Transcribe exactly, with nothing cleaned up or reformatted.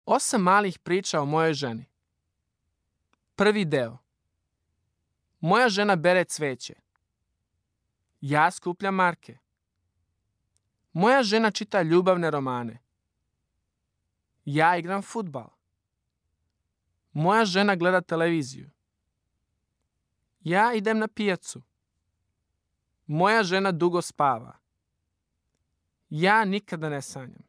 Osam malih priča o mojoj ženi. Prvi deo. Moja žena bere cveće. Ja skupljam marke. Moja žena čita ljubavne romane. Ja igram fudbal. Moja žena gleda televiziju. Ja idem na pijacu. Moja žena dugo spava. Ja nikada ne sanjam.